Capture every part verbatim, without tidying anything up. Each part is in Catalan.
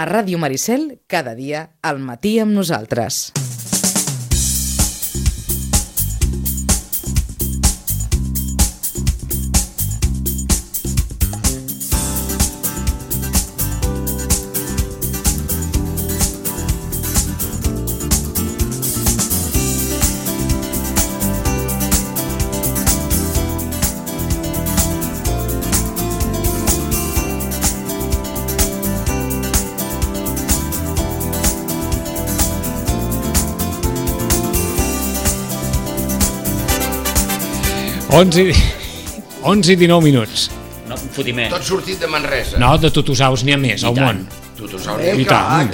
A Ràdio Maricel, cada dia, al matí amb nosaltres. onze i dinou minuts. No, un fotiment. Tot sortit de Manresa. No, de Tutusaus n'hi ha més, al món. Tutusaus I tant.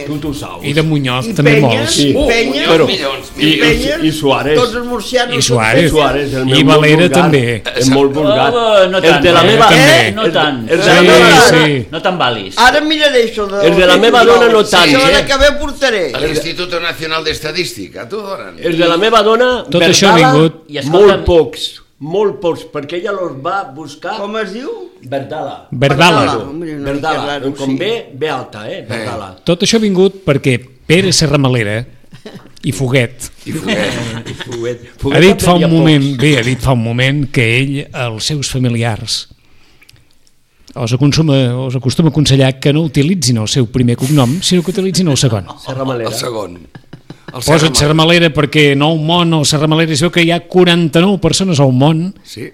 Tutusaus. I de Muñoz I també Penyes, molts. I Penyes, Però, milions, i, milions. i, i Suárez. Tots els murcianos. I Suárez. Suárez, el meu I molt Valera vulgar. també. És molt vulgar. Oh, no tant, el de la eh? meva... També. No tant. El, el de Sí, la meva... sí. No te'n valis. Ara miraré això de... El de la meva dona no tant, La setmana eh? que ve portaré. A l'Institut Nacional d'Estadística, tu donen. El de la meva dona, Tot això ha vingut. I escolta'm- molt pocs, molt pocs, perquè ella los va buscar... Com es diu? Verdala. Verdala. Hombre, una mica Verdala, raro, com sí. ve, ve alta, eh? Verdala. Tot això ha vingut perquè Pere Serramalera i Foguet I Foguet. I Fuguet. ha Fuguet dit fa un aprenia moment, pocs. bé, ha dit fa un moment que ell, els seus familiars, els acostuma, els acostuma a aconsellar que no utilitzin el seu primer cognom, sinó que utilitzin el segon. Serramalera. El segon. El Posa't Serramalera perquè nou món, el Serramalera, es veu que hi ha quaranta-nou persones al món. Sí.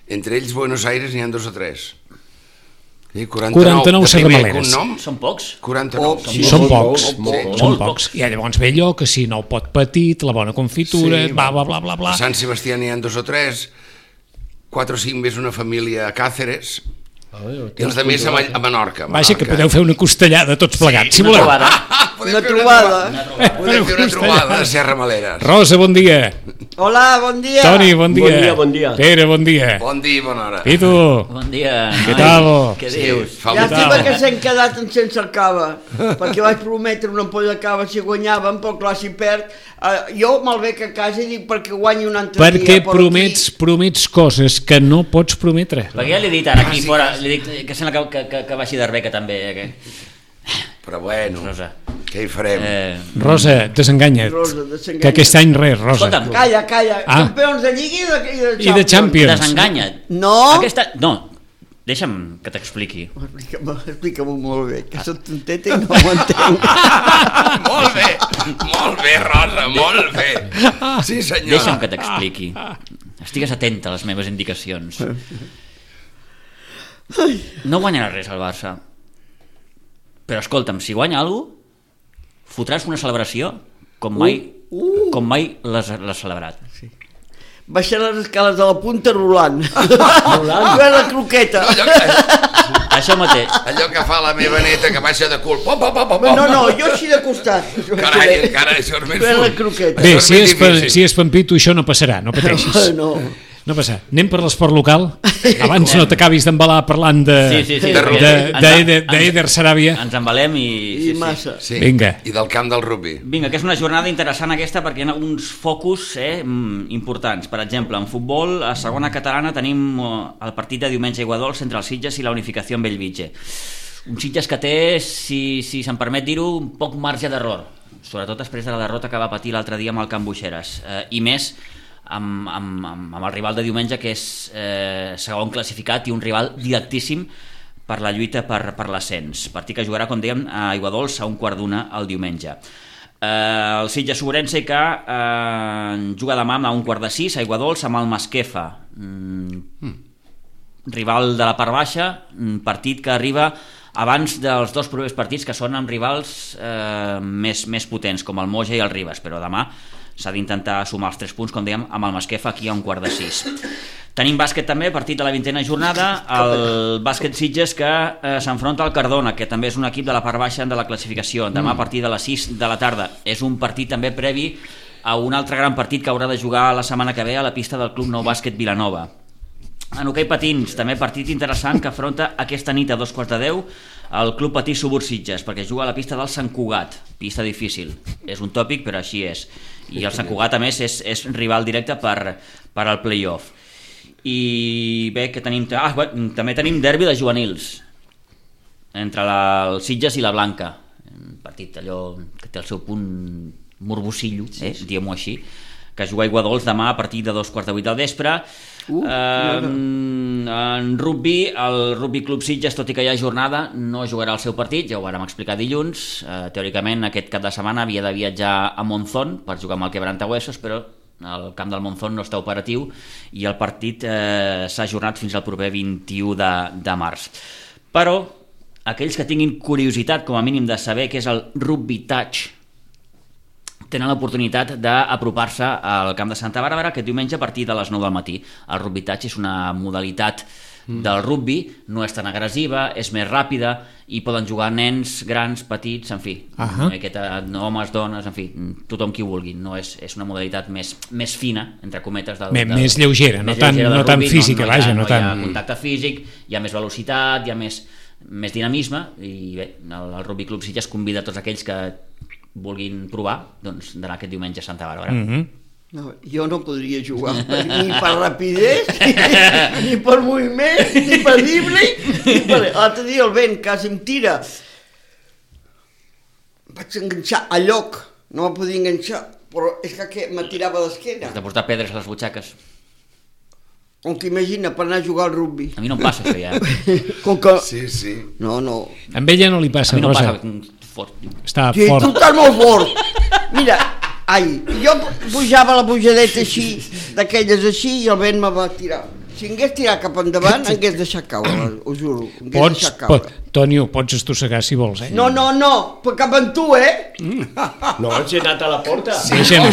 Entre ells, Buenos Aires, n'hi ha dos o tres. Sí, quaranta-nou de primer Serramaleres. cognom, Són pocs? quaranta-nou. Pocs. Sí, són pocs, molt, molt, són molt pocs. I llavors ve allò que si no el pot petit, la bona confitura, Sí, bla, bla, bla, bla, bla. A Sant Sebastià n'hi ha dos o tres, quatre o cinc més una família a Càceres, i els de més a, Ma- a Menorca. Vaja, que Menorca. podeu fer una costellada tots plegats, si Una voleu. trobada. Podem Una fer trobada. Podem fer una trobada de Serramaleres. Rosa, bon dia. Hola, bon dia. Toni, bon dia. Bon dia, bon dia. Pere, bon dia. Bon dia i bona hora. I tu? Bon dia. Què noi. tal? Què Sí, dius? fa un Llàstima tal? que s'han quedat en sense el cava, perquè vaig prometre una ampolla de cava si guanyaven, però clar, si perd, eh, jo me'l bec a casa i dic perquè guanyi un altre Perquè dia. però promets, promets coses que no pots prometre. Perquè ja li he dit ara aquí fora, li dic que sembla que, que, que, que baixi d'Arbeca també. Eh, que... Però bueno, Rosa. què hi farem? Eh, Rosa, desenganya't. Rosa, desenganya't. Que aquest any res, Rosa. Escolta'm, Calla, calla, Ah. campions de Lliga i de, i de I de Champions. desenganya't. No. Aquesta... No, deixa'm que t'expliqui. Explica-m'ho explica molt bé, que soc tonteta i no ho entenc. Molt bé, molt bé, Rosa, molt bé. Sí, senyora. Deixa'm que t'expliqui. Estigues atenta a les meves indicacions. No guanyarà res al Barça. Però escolta'm, si guanya alguna cosa, fotràs una celebració com mai, Uh, uh. com mai l'has l'has celebrat. Baixar les escales de la punta rolant. Rolant? la croqueta. Allò que, Això mateix. allò que fa la meva neta que baixa de cul. Pom, pom, pom, pom, No, no, jo així de costat. Carai, encara això és més Fer la fort. croqueta. Bé, Això és si més és, pa, difícil. si és Pampito, això no passarà, no pateixis. No. No passa. Anem per l'esport local? Abans no t'acabis d'embalar parlant de, Sí, sí, sí. de, perquè de, ens- d'Eder ens- d'Eder Saràbia. Ens embalem i... I massa. Sí. Vinga. I del camp del rugby. Vinga, que és una jornada interessant aquesta perquè hi ha alguns focus eh, mm, importants. Per exemple, en futbol, a segona catalana tenim eh, el partit de diumenge a Iguadols entre els Sitges i la Unificació en Bellvitge. Un Sitges que té, si, si se'n permet dir-ho, un poc marge d'error, sobretot després de la derrota que va patir l'altre dia amb el Can Buixeres, eh, i més amb, amb, amb, amb el rival de diumenge, que és eh, segon classificat i un rival directíssim per la lluita per, per l'ascens. Partit que jugarà, com dèiem, a Iguadols a un quart d'una el diumenge. Eh, el Sitges Ourense que eh, juga demà a un quart de sis a Iguadols amb el Masquefa. Mm, mm. Rival de la part baixa, un partit que arriba abans dels dos primers partits que són amb rivals eh, més, més potents com el Moja i el Ribes, però demà s'ha d'intentar sumar els tres punts, com dèiem, amb el Masquefa aquí a un quart de sis. Tenim bàsquet també, partit de la vintena jornada, el bàsquet Sitges que eh, s'enfronta al Cardona, que també és un equip de la part baixa de la classificació, demà a partir de les sis de la tarda. És un partit també previ a un altre gran partit que haurà de jugar la setmana que ve a la pista del Club Nou Bàsquet Vilanova. En hoquei patins, també partit interessant que afronta aquesta nit a dos quarts de deu el Club Patí Subur Sitges, perquè juga a la pista del Sant Cugat, pista difícil, és un tòpic però així és, i el Sant Cugat a més és, és rival directe per, per al play-off. I bé, que tenim, ah, bé, també tenim derbi de juvenils, entre la, el Sitges i la Blanca, un partit allò que té el seu punt morbosillo, eh, sí, sí. diguem-ho així, que juga a Aiguadols demà a partir de dos quarts de vuit del vespre. Uh, eh, en rugby, el Rugby Club Sitges, tot i que hi ha jornada, no jugarà el seu partit, ja ho vàrem explicar dilluns. Eh, teòricament aquest cap de setmana havia de viatjar a Monzón per jugar amb el Quebrantahuesos, però el camp del Monzón no està operatiu i el partit eh, s'ha ajornat fins al proper vint-i-u de, de març. Però aquells que tinguin curiositat com a mínim de saber què és el Rugby Touch tenen l'oportunitat d'apropar-se al camp de Santa Bàrbara aquest diumenge a partir de les nou del matí. El Rugby Touch és una modalitat del rugby, no és tan agressiva, és més ràpida i poden jugar nens, grans, petits, en fi, uh-huh. aquesta, homes, dones, en fi, tothom qui vulgui. No és, és una modalitat més, més fina, entre cometes, del, del, més lleugera, més no tan, lleugera no tan rugby, física, no, no vaja, hi ha, no, no tan... hi ha contacte físic, hi ha més velocitat, hi ha més, més dinamisme, i bé, el, el Rugby Club Sitges convida a tots aquells que vulguin provar, doncs d'anar aquest diumenge a Santa Bàrbara. Mm-hmm. No, jo no podria jugar ni per rapidesa, ni, ni per moviment, ni per dribbling, ni per... L'altre dia el vent quasi em tira. Vaig enganxar a lloc, no em podia enganxar, però és que me tirava d'esquena. Has de portar pedres a les butxaques. Com que imagina, per anar a jugar al rugby. A mi no em passa això ja. Com que... Sí, sí. No, no. Amb ella no li passa, a mi no Rosa. passa fort. Està Sí, fort. tu estàs molt fort. Mira, ai, jo pujava la pujadeta així, d'aquelles així, i el vent me va tirar. Si em hagués tirat cap endavant, em hagués deixat caure, ho juro. Em hagués Pots, deixat caure. pot, Tònio, pots estossegar si vols, eh? No, no, no, però cap amb tu, eh? No, si he anat a la porta. Sí, deixa'm,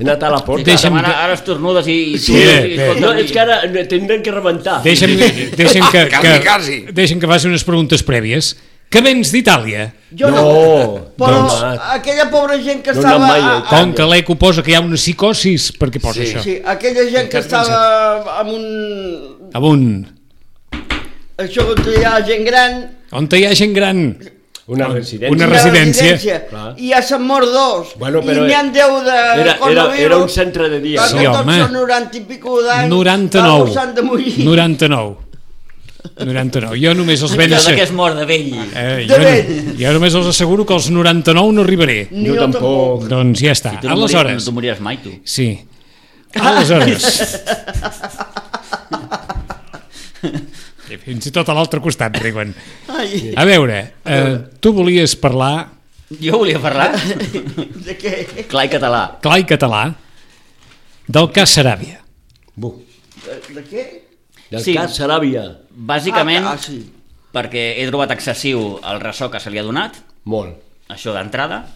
He anat a la porta. Deixa'm Ara, que- ara estornudes i... i Sí, tu- bé, i- bé. escolta, No, és que ara tindrem que rebentar. deixa'm, deixa'm que, Quasi, que, quasi. deixa'm que faci unes preguntes prèvies. Que vens d'Itàlia? Jo no. No, Però doncs- aquella pobra gent que No estava... anat mai a a- Itàlia. Com que l'Eco posa que hi ha una psicosis, per què posa Sí. això? Sí, aquella gent que Què has estava amb un... Amunt. Això que hi ha gent gran... On hi ha gent gran? Una residència. Una una residència. Clar. I ja se'n mort dos. Bueno, però I n'hi ha deu de era, era, coronavirus. era un centre de dia. Perquè Sí, tots home. són noranta i pico d'anys. noranta-nou. Algú s'han de morir. noranta-nou. noranta-nou. Jo només els ben allò de que assegur. és mort de vell. Eh, De jo, vell. jo només els asseguro que als noranta-nou no arribaré. Ni Jo tampoc. Doncs ja està. Tu no moriràs, no Aleshores, tu moriràs mai, tu. sí. Aleshores. I fins i tot a l'altre costat riuen. Ai, A veure, eh, tu volies parlar Jo volia parlar, de què? clar i català. clar i català del cas Saràbia. Bu. De, de què? Del Sí. cas Saràbia. Bàsicament, Ah, ah, sí. perquè he trobat excessiu el ressò que se li ha donat, Molt. això d'entrada,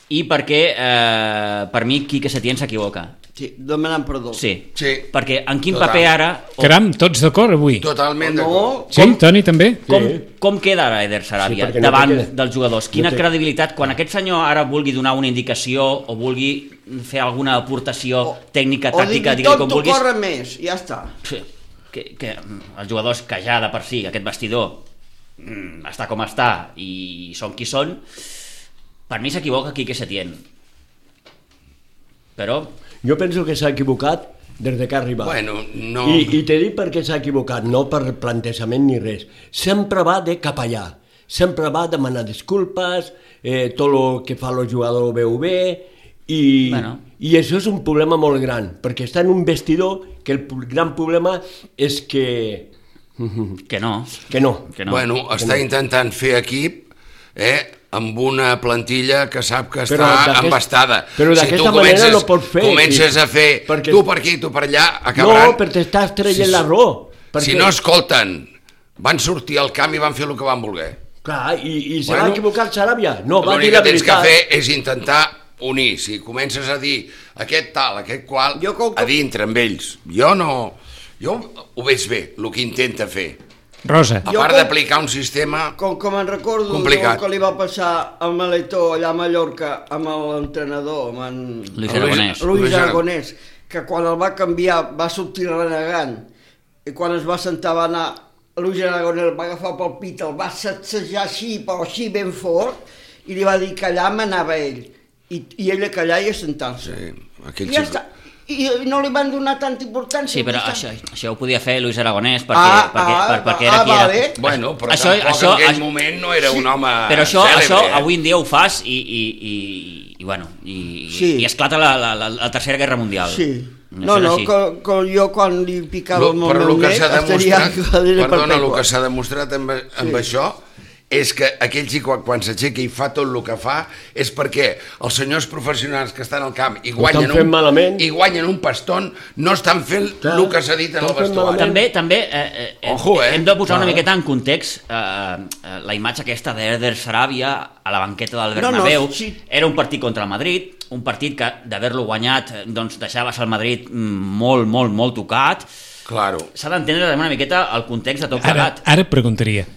i perquè, eh, per mi, Quique Setién s'equivoca. Sí, demanant perdó. Sí, Sí. perquè en quin Total. paper ara... o Caram, tots d'acord avui? Totalment No, d'acord. Sí, Toni, també? Com, Sí. com queda ara Eder Saràbia Sí, perquè no davant té que- dels jugadors? Quina no té- credibilitat, quan aquest senyor ara vulgui donar una indicació o vulgui fer alguna aportació tècnica, o tàctica, digui digue-li com tot vulguis, corre més, ja està. sí, que, que els jugadors que ja de per si, aquest vestidor mm, està com està i són qui són, per mi s'equivoca Quique Setién. Però Jo penso que s'ha equivocat des de que ha arribat. Bueno, no... I, I t'he dit per què s'ha equivocat, no per plantejament ni res. Sempre va de cap allà. Sempre va a demanar disculpes, eh, tot el que fa el jugador ho veu bé, i, Bueno. i això és un problema molt gran, perquè està en un vestidor que el pu- gran problema és que... que no, que no. que no. Bueno, està intentant fer equip, eh, amb una plantilla que sap que Però està d'aquest- embastada. però si d'aquesta tu manera comences, no pots fer, Comences sí. a fer Perquè- tu per aquí, tu per allà, acabaran... No, perquè t'estàs traient Si- la raó. Perquè, Si no escolten, van sortir al camp i van fer el que van voler. Clar, i, i se Bueno, va equivocar el Saràbia. No, va dir L'únic la que tens que veritat. fer és intentar unir. Si comences a dir aquest tal, aquest qual, Jo com que- a dintre amb ells. Jo no... Jo ho veig bé, el que intenta fer. Rosa, A Jo part com- d'aplicar un sistema... Com, com en recordo Complicat. el que li va passar al Maletó allà a Mallorca amb l'entrenador, amb en Luis Luis- Aragonès. Luis Luis Aragonès, que quan el va canviar va sortir renegant, i quan es va sentar va anar, Luis Aragonès el va agafar pel pit, el va sacsejar així, però així ben fort, i li va dir que allà manava ell, i, i ell a callar i a sentar-se. Sí, aquell I ja xico- està. i no li van donar tanta importància. Sí, però això, això ho podia fer Luis Aragonès perquè, Ah, perquè, ah, per, perquè era ah, qui era. vale. Bueno, però Això- tampoc això- en aquell això- moment no era un home Però això, cèlebre, això eh? avui en dia ho fas i, i, i, i bueno, i, Sí. i esclata la, la, la, la tercera guerra mundial. Sí. Això No, és no, així. que, que jo quan li picava Lo, el meu però el que net s'ha estaria demostrat, cadira perdona, el perpètua. que s'ha demostrat amb, amb això és que aquell xic quan s'aixeca i fa tot el que fa és perquè els senyors professionals que estan al camp i guanyen, estan fent un, malament. i guanyen un paston no estan fent Clar, el que s'ha dit en el estan fent vestuari. malament. També, també eh, eh, Ojo, eh? hem de posar una Clar. miqueta en context eh, eh, la imatge aquesta d'Eder Saràbia a la banqueta del No, no, Bernabéu. sí. Era un partit contra el Madrid, un partit que d'haver-lo guanyat eh, doncs deixaves el Madrid mm, molt, molt, molt tocat. Claro. S'ha d'entendre una miqueta el context de tot Ara, plegat. ara et preguntaria,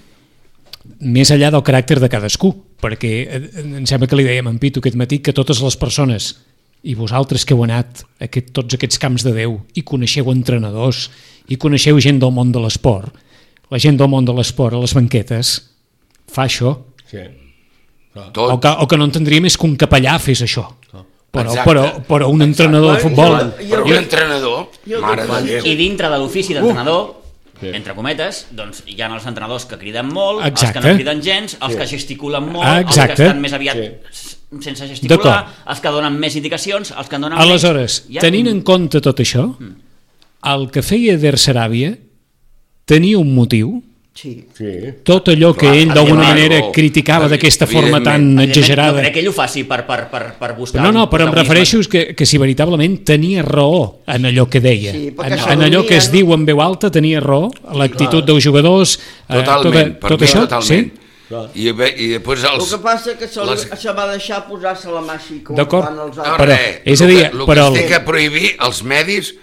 més enllà del caràcter de cadascú, perquè eh, em sembla que li dèiem en Pitu aquest matí que totes les persones, i vosaltres que heu anat a aquest, tots aquests camps de Déu i coneixeu entrenadors i coneixeu gent del món de l'esport, la gent del món de l'esport a les banquetes fa això, Sí. Tot. o que, o que no entendria més que un capellà fes això, però, Exacte. però, però un entrenador de futbol... Exacte. Però un entrenador, mare de Déu. I dintre de l'ofici d'entrenador, Sí. entre cometes, doncs hi ha els entrenadors que criden molt, Exacte. els que no criden gens, els que gesticulen molt, Ah, els que exacte. estan més aviat s- sense gesticular, D'acord. els que donen més indicacions, els que en donen Aleshores, menys. Hi ha tenint un- en compte tot això, el que feia Der Saràbia tenia un motiu, Sí. Sí. tot allò que Clar, ell d'alguna evidentment, manera oh, criticava d'aquesta forma tan Evidentment, no exagerada. crec que ell ho faci per, per, per, per buscar... No, no, un però em protagonisme. refereixo que, que si veritablement tenia raó en allò que deia, Sí, en, perquè en allò que es s'adormien. diu en veu alta tenia raó, l'actitud dels jugadors, eh, Totalment, tot, per tot mi això, totalment. sí? I, bé, i després El els... que passa és que se, les- se va deixar posar-se la mà així com D'acord. fan els No, altres. Però, res, és a el dir, que, el però que el- es té que prohibir als medis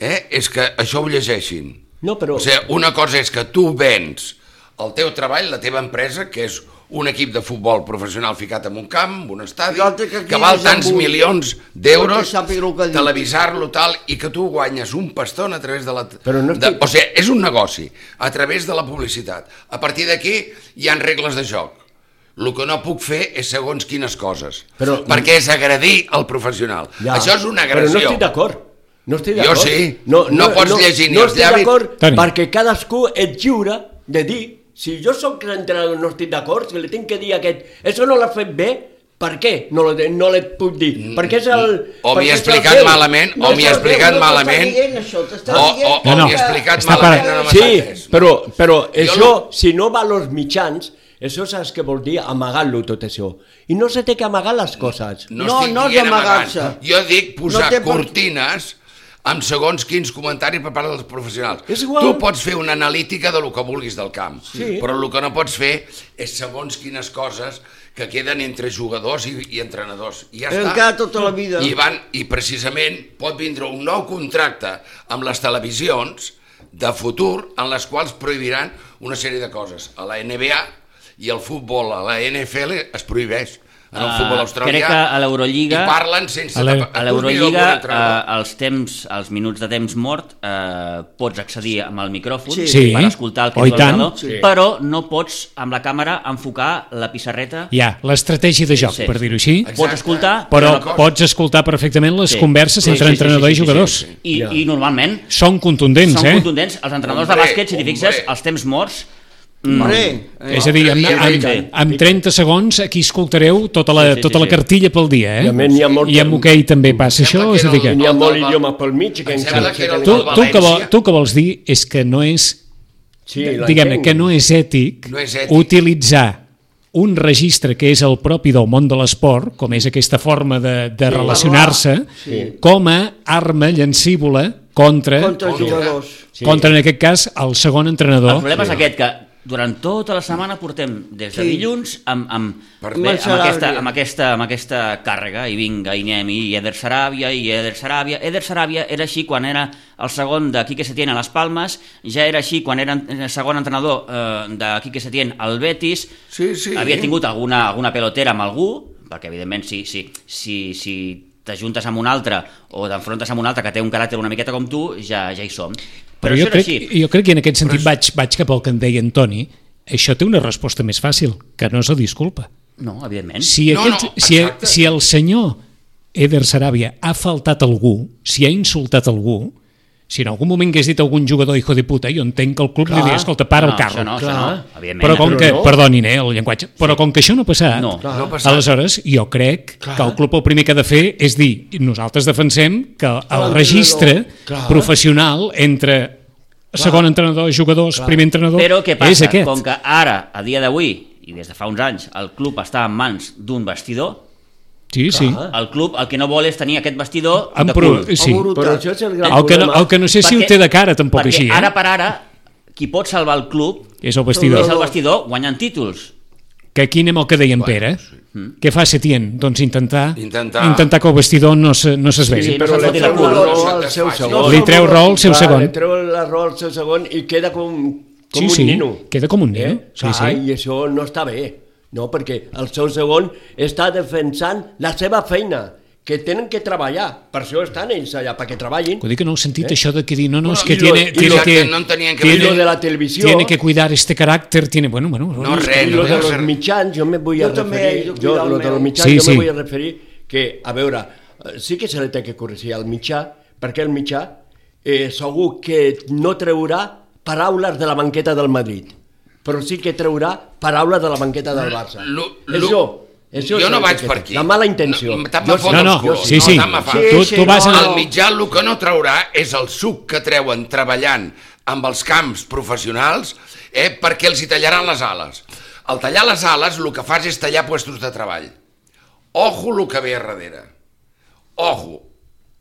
eh, és que això ho llegeixin. No, però... O sigui, una cosa és que tu vens el teu treball, la teva empresa, que és un equip de futbol professional ficat en un camp, en un estadi, I l'altre que aquí que val és tants amb un- milions perquè d'euros, sàpiga el que diu. televisar-lo tal, i que tu guanyes un paston a través de la... Però no de, estic- o sigui, és un negoci, a través de la publicitat. A partir d'aquí hi han regles de joc. El que no puc fer és segons quines coses, Però- perquè és agredir el professional. Ja. Això és una Però agressió. no estic d'acord. No estic Jo d'acord. sí. No pots llegir ni no els estic llavis. d'acord Toni. perquè cadascú és lliure de dir si jo sóc l'entrenador no estic d'acord, si li tinc que dir a aquest això no l'ha fet bé, per què no, lo, no li puc dir? Perquè és el... O m'hi perquè he és el explicat teu. malament, o m'hi he no, explicat no, no malament, t'està dient això, t'està o, o, dient o No, no. m'hi he explicat Està malament. parant. No m'ha Sí, entès. però, però Jo això, no- si no va als mitjans, això saps què vol dir amagar-lo tot això. I no se té que amagar les coses. No, No, estic no és dient amagar-se. amagant. Jo dic posar No té per- cortines amb segons quins comentaris per part dels professionals. És igual. Tu pots fer una analítica de lo que vulguis del camp, Sí. però el que no pots fer és segons quines coses que queden entre jugadors i, i entrenadors. I ja Però està. encara tota la vida. I, van, I precisament pot vindre un nou contracte amb les televisions de futur en les quals prohibiran una sèrie de coses. A la N B A i el futbol, a la N F L es prohibeix. En el Ah, futbol australià. crec que a l'Eurolliga- I parlen sense... A la- tapa- A tu mira l'Eurolliga, algun entrenador. eh, els temps, els minuts de temps mort, eh, pots accedir amb el micròfon Sí. Sí. per escoltar el que Oh, i diu tant. l'entrenador, Sí. però no pots amb la càmera enfocar la pissarreta. Ja, l'estratègia de joc, Sí. per dir-ho així, Exacte. Pots escoltar, però Una cosa. pots escoltar perfectament les Sí. converses Sí, entre sí, sí, entrenador sí, i sí, sí, jugadors. sí, sí. I, Ja. i normalment Són contundents, són eh? contundents. Els entrenadors Hombre, de bàsquet, si t'hi fixes, hombre. els temps morts... Hombre, eh, És a dir, amb, L'altre dia amb, veig- amb trenta segons aquí escoltareu tota la, Sí, sí, sí, tota la sí. cartilla pel dia, I a eh? més n'hi ha molt- I amb hoquei també passa Em sembla això, que és a era dir que... el- N'hi ha molt el- idioma pel mig que Em encara... sembla que era el Tu, del tu, que vol, València. tu que vols dir és que no és, Sí, diguem-ne, que no és ètic, No és ètic. utilitzar un registre que és el propi del món de l'esport, com és aquesta forma de, de relacionar-se, com a arma llancívola contra, contra els jugadors. contra, en aquest cas, el segon El entrenador. problema és aquest, que durant tota la setmana portem des de Sí. dilluns amb, amb, Per- bé, amb, Saràbia. aquesta, amb, aquesta, amb aquesta càrrega, i vinga, i anem, i Eder Saràbia, i Eder Saràbia. Eder Saràbia era així quan era el segon de Quique Setién a les Palmes, ja era així quan era el segon entrenador eh, de Quique Setién al Betis, Sí, sí. havia tingut alguna, alguna pelotera amb algú, perquè evidentment si, si, si, si t'ajuntes amb un altre o t'enfrontes amb un altre que té un caràcter una miqueta com tu, ja, ja hi som. Però, Però això jo era crec, així. jo crec que en aquest sentit vaig, vaig cap al que en deia Antoni. Això té una resposta més fàcil, que no és la disculpa. No, evidentment. Si, No, aquest, no, si, exacte. si el senyor Eder Sarabia ha faltat algú, si ha insultat algú, si en algun moment hagués dit algun jugador hijo de puta, jo entenc que el club Clar. li diria, escolta, para no, el carro. Això no, això no, evidentment. Però com Però que, no. perdonin, eh, el llenguatge, però com que això no ha passat, No. No ha passat. aleshores jo crec que el club el primer que ha de fer és dir, nosaltres defensem que el registre Clar. professional entre segon entrenador, jugadors, primer entrenador, Però què és passa? aquest. Com que ara, a dia d'avui, i des de fa uns anys, el club està en mans d'un vestidor, Sí, sí. el club el que no vol és tenir aquest vestidor En de pro... cul. sí. Però això és el gran El que, no, problema. el que no sé si ho Perquè- té de cara tampoc perquè així, eh? ara per ara, qui pot salvar el club És el vestidor. és el vestidor guanyant títols. Que aquí anem al que deia en Pere. Què fa Setién? Doncs intentar, Intentar- intentar que el vestidor no se, no s'esvegi. Sí, no Però se'ls li foti la treu cul. la No raó se't al seu desfaci. segon. Li treu raó al seu Clar, segon. Li treu la raó al seu segon i queda com, com Sí, un sí, nino. queda com un nino, Eh? sí, Clar, sí. I això no està bé, no? Perquè el seu segon està defensant la seva feina, que tenen que treballar. Per això estan ells allà, perquè treballin. Vull dir que no heu sentit això de que dir, no, no, es Bueno, que i lo- tiene, i tiene lo que... que no en tenien que tiene- I lo de la televisió. Tiene que cuidar este carácter, tiene... Bueno, bueno... No, es que- res, I no lo de deu los ser- mitjans, jo me vull a Jo també, referir, jo jo, cuido el lo de los meu. mitjans, Sí, jo sí. me vull a referir que, a veure, eh, sí que se li té que corregir al mitjà, perquè el mitjà eh, segur que no treurà paraules de la banqueta del Madrid, però sí que treurà paraules de la banqueta del Barça. Lo- lo- Això, això jo és no el vaig que per té. aquí. La mala intenció. No, tant Jo me fot No, els no, colors, sí, sí. tant me fa. Tu, Sí, tu sí, vas no, a... El mitjà el que no traurà és el suc que treuen treballant amb els camps professionals eh, perquè els hi tallaran les ales. Al tallar les ales el que fas és tallar puestos de treball. Ojo el que ve a darrere. Ojo,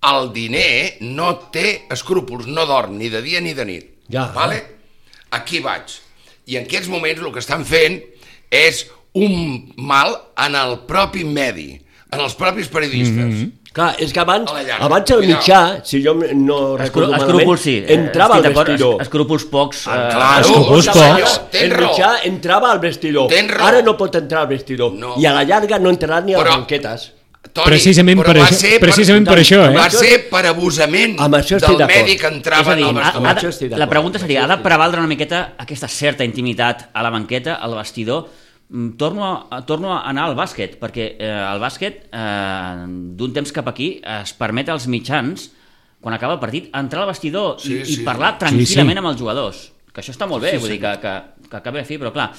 el diner no té escrúpols, no dorm ni de dia ni de nit. Ja. Vale? Aquí vaig. I en aquests moments el que estan fent és un mal en el propi medi, en els propis periodistes. Mm-hmm. Clar, és que abans, A la llarga, abans el cuidao. mitjà, si jo no recordo malament, Escrúpols sí, eh, entrava estic al d'acord, vestidor. es- Escrúpols pocs. Ah, eh, claro, Escrúpols senyor, pocs. tens El raó. mitjà entrava al vestidor. Tens raó. Ara no pot entrar al vestidor. No. I a la llarga no entrarà ni a les Però- banquetes. Toni, Precisament però per va això- ser precisament per això, eh? Va ser per abusament Amb això estic del d'acord. medi que És entrava a dir, en el ha, vestidor. ha Això de, estic la d'acord. pregunta seria, ha de prevaldre una miqueta aquesta certa intimitat a la banqueta, al vestidor? Mm, Torno a, torno a anar al bàsquet, perquè eh, el bàsquet, eh, d'un temps cap aquí, es permet als mitjans, quan acaba el partit, entrar al vestidor Sí, i, sí. i parlar Sí, tranquil·lament sí. amb els jugadors. Que això està molt bé, Sí, vull sí. dir que, que, que acabi de fi, però clar...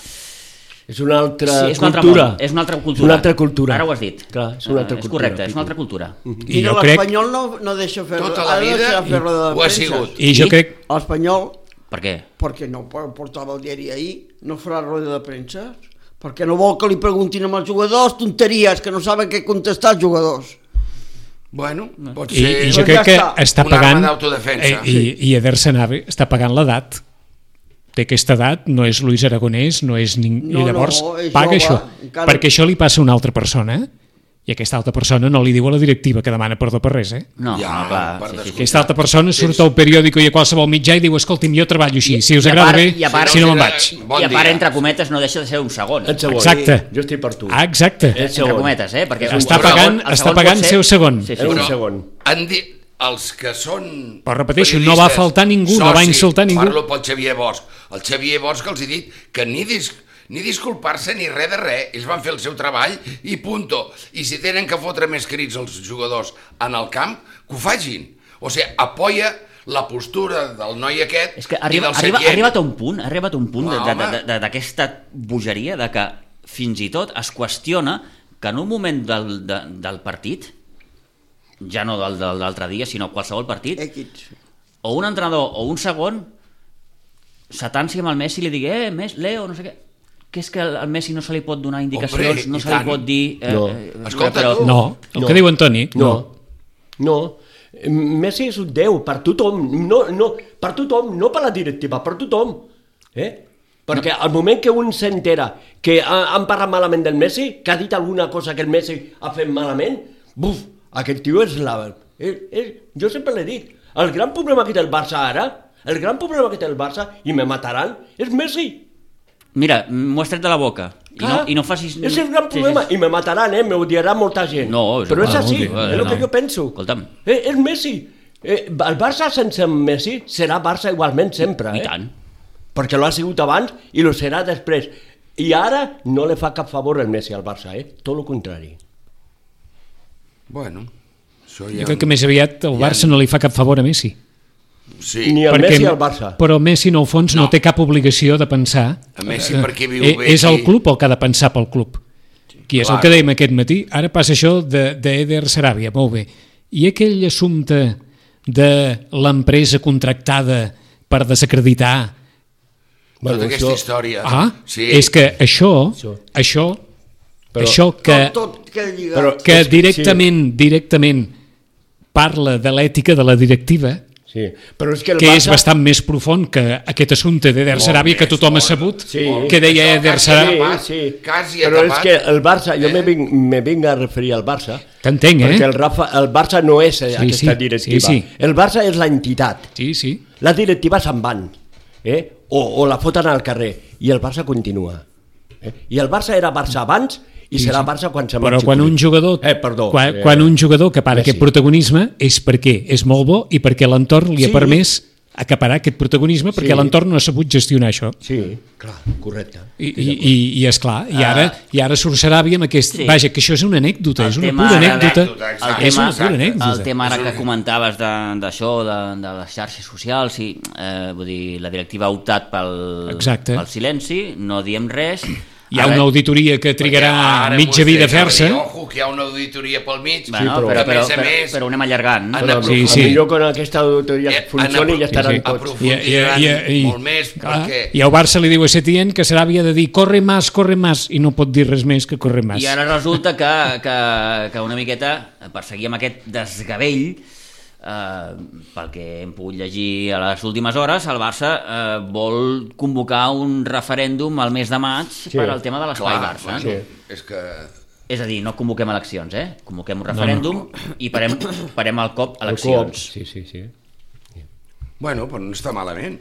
És una altra Sí, és un altre cultura. món, és una altra cultura. És una altra cultura. Ara ho has dit. Clar, és una altra Eh, és cultura, correcte, és una altra cultura. I Mira, jo crec... l'Espanyol no, no deixa fer... Tota la ha de vida deixar fer roda de ho ha premsa. sigut. I jo I? crec... L'Espanyol, Per què? perquè no portava el diari ahir, no farà roda de premsa, perquè no vol que li preguntin amb els jugadors tonteries, que no saben què contestar els jugadors. Bueno, pot I, ser... i jo Doncs crec ja que està. està Una arma pagant... d'autodefensa. eh, I, i Eder Sanabria està pagant l'edat. Té aquesta edat, no és Luis Aragonès, no és ningú... No, I llavors no, és paga jove, això. encara- Perquè això li passa a una altra persona, i aquesta altra persona no li diu a la directiva que demana perdó per res, eh? No, Ja, no, clar. per Sí, sí, sí. Aquesta altra persona surt al periòdico i a qualsevol mitjà i diu, escolti'm, jo treballo així, si us I a agrada part- bé, i a part- si no me'n si no- vaig. Bon I a part, dia. entre cometes, no deixa de ser un segon. El segon. Exacte. Jo estic per tu. Ah, exacte. És Entre segon. cometes, eh? Perquè Està el segon- pagant- el està segon pagant pot ser- seu segon. Sí, sí. És un Però segon. han dit els que són... Però repeteixo, no va periodistes, faltar ningú, no va socis, insultar ningú. Parlo pel Xavier Bosch. El Xavier Bosch els he dit que ni, dis, ni disculpar-se ni res de res. Ells van fer el seu treball i punto. I si tenen que fotre més crits els jugadors en el camp, que ho facin. O sigui, apoya la postura del noi aquest És que i arriba, del arriba, ha Setién. arribat a un punt, ha arribat a un punt de- Ah, de- home. de- de- d'aquesta bogeria de que fins i tot es qüestiona que en un moment del, de, del partit, ja no del de l'altre dia, sinó qualsevol partit, Equips. o un entrenador o un segon s'atansi amb el Messi i li digui, eh, Messi, Leo, no sé què, que és que al al Messi no se li pot donar indicacions, Hombre, no i se li tant. pot dir... Eh, No. eh, Escolta, però, tu. No, el No. que diu Antoni, No. no. No. Messi és un déu per tothom. No, no, per tothom, no per la directiva, per tothom. Eh? Perquè al moment que un s'entera que ha- han parlat malament del Messi, que ha dit alguna cosa que el Messi ha fet malament, buf, aquest tio és la... És, és, jo sempre l'he dit, el gran problema que té el Barça ara, el gran problema que té el Barça, i me mataran, és Messi. Mira, m'ho has tret de la boca. I no, Clar, i no facis... És el gran problema, Sí, sí. i me mataran, eh? Me odiarà molta gent. No, és però és igual, així, no, és el no. que jo penso. Escolta'm. Eh, és Messi. Eh, el Barça sense Messi serà Barça igualment sempre, eh? I tant. Perquè lo ha sigut abans i lo serà després. I ara no li fa cap favor el Messi al Barça, eh? Tot el contrari. Bueno, Això Jo ja... crec que més aviat el Barça no li fa cap favor a Messi. Sí. Ni el Perquè- Messi al Barça. Però Messi, en el fons, no, No. té cap obligació de pensar... A Messi eh, perquè viu eh, bé És el aquí. club el que ha de pensar pel club. Qui és clar. el que dèiem aquest matí. Ara passa això de- d'Eder Sarabia, molt bé. I aquell assumpte de l'empresa contractada per desacreditar... Tota Bueno, aquesta això- història. Ah, sí. és que això, Això. això, Però- això que, Tot, tot queda lligat. Però- que és- directament, directament parla de l'ètica de la directiva, Sí, però és que el que Barça... és bastant més profund que aquest assumpte d'Eder Molt Sarabia que més, tothom ha molt. sabut, Sí. que deia Això Eder quasi Sarabia. Sí, sí. Quasi Però és acabat. que el Barça, jo Eh? me, vinc, me vinc a referir al Barça, T'entenc, perquè eh? el, Rafa, el Barça no és eh, Sí, aquesta sí, directiva. sí, sí. El Barça és l'entitat. Sí, sí. Les directives se'n van, eh? o, o la foten al carrer, i el Barça continua. Eh? I el Barça era Barça abans i serà Barça quan se Però marxi quan Cruyff. un jugador, Eh, perdó. quan, eh, quan un jugador que para Messi. aquest protagonisme és perquè és molt bo i perquè l'entorn li ha Sí. permès acaparar aquest protagonisme perquè Sí. l'entorn no ha sabut gestionar això. Sí, clar, correcte. I, i, i, i esclar, i ara, i ara surt Saràbia amb aquest... Sí. Vaja, que això és una anècdota, El és una tema pura ara- anècdota. Anècdota, exacte. És una Exacte. pura anècdota. El tema ara És que un- comentaves de- d'això, de, de les xarxes socials, sí, eh, vull dir, la directiva ha optat pel, Exacte. pel silenci, no diem res. Hi ha Ara- una auditoria que trigarà Perquè ara mitja vostès vida a saben, fer-se. Ojo, que hi ha una auditoria pel mig. Bueno, però- però, a però, més a però, més, però ho anem allargant. han Però, Sí, sí, sí. sí. Millor quan aquesta auditoria Eh, funcioni han ja estaran sí, sí. tots. aprofundiran molt més clar, perquè... I el Barça li diu a Setién que Saràbia ha de dir corre más, corre más, i no pot dir res més que corre más. I ara resulta que, que, que una miqueta, per seguir amb aquest desgavell, eh, pel que hem pogut llegir a les últimes hores, el Barça eh, vol convocar un referèndum al mes de maig Sí. per al tema de l'espai Clar, Barça. bueno, Sí. és que... És a dir, no convoquem eleccions, eh? Convoquem un referèndum i parem, parem al cop El eleccions. cop, Sí, sí, sí. Bueno, però no està malament.